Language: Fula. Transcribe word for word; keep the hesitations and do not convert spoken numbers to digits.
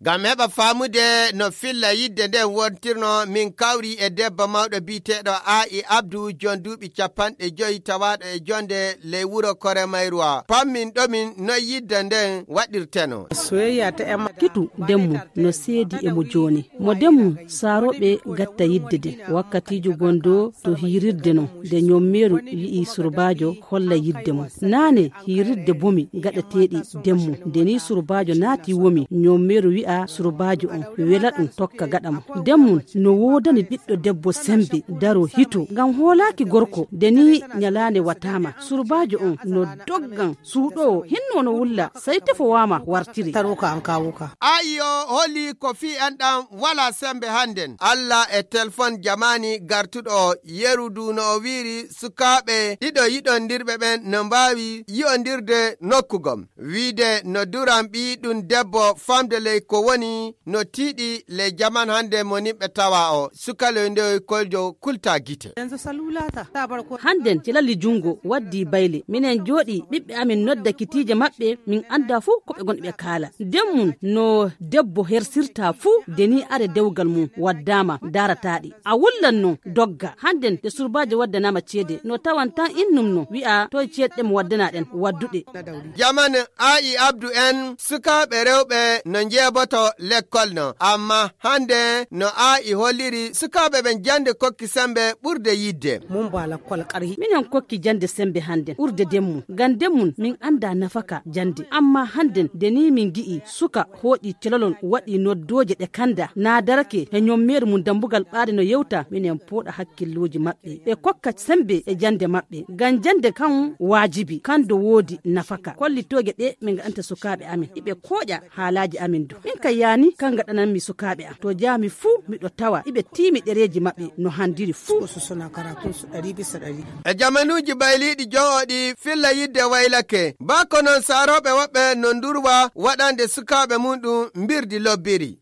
Ngam heɓa faamude no filla yidde nden wontirno, min kawri e debbo mawɗo biyeteeɗo Aa'i Abdu, jon duuɓi capanɗe joyi, tawaaɗo e jonde ley wuro Kore Mayruwa. Pammin ɗomin no yidde nden waɗirteno. Kitu demmu no seedi e mo jooni. Mo demmu saarooɓe gatta yidde de. Wakkatiijo gondo to hiirirde non, de ñommeeru yi'i surbaajo holla yidde mum. Naane hiirirde bomi gaɗateeɗi demmu. Nde ni surbaajo naati womi, ñommeeru wi'a surbaajo on, wela ɗum tokka gaɗa mo. Demmu no woodani ɓiɗɗo debbo sembe daro hito. Ngam hoolaaki gorko, nde ni ñalaande wataama. Surbaajo on no doggan suuɗoowo, hinno no wulla, sey tefowaama wartiri. Taruka an kawuka. Ayi o holi ko fii enɗam wala sembe hannden. Alla e telefon jamaani gartuɗo o, yeru du no o wiiri sukaaɓe ɗiɗo yiɗondirɓe ɓen no mbaawi yi'ondirde nokku gom. Wiide no duran ɓii ɗum debbo famde ley ko woni no tiiɗi ley jaman hannde mo nimɓe tawa o. Sukaloy ndewoy koljo kulta gite. Hannden ci lalli junngo waddi bayle. Minen jooɗi ɓiɓɓe amin nodda kitiije maɓɓe, min annda fuu ko ɓe ngonɓe kaala. Nden mum no debbo hersirta fuu, de ni are dewgal mum waddaama daarataaɗi. A wullan non dogga. Hannden de surbaajo waddanaama ceede, no tawan tan innum no wi'a toy ceede ɗe mo waddana ɗen wadduɗe. Jaman Aa'i Abdu en, sukaaɓe rewɓe no njeeboto lekkol no, amma hannde no Aa'i holliri sukaaɓe ɓen jannde kokki sembe ɓurde yidde. Minen kokki jannde sembe hannden ɓurde demmu, ngam demmun min annda nafaka jannde. Amma hannden de ni min gi'i suka hooƴi telolol waɗi noddooje ɗe kanda, na darake he ñommeeru mum dambugal ɓaade no yewta, minen pooɗa hakkillooji maɓɓe. Ɓe kokka sembe e jannde maɓɓe, ngam jannde kan waajibi, kan do woodi nafaka. Kollitooje ɗe min ngaɗanta sukaaɓe amin, iɓe kooƴa haalaaji amin du. Min ka yaani, kan ngaɗananmi sukaaɓe am. To jaami fuu, miɗo tawa iɓe tiimi ɗereeji maɓɓe no handiri fuu. E jamanuuji bayliiɗi jon o ɗi filla yidde waylake. Baa ko non saarooɓe woɓɓe no ndurwa waɗande sukaaɓe mum ɗum mbirdi lobbiri.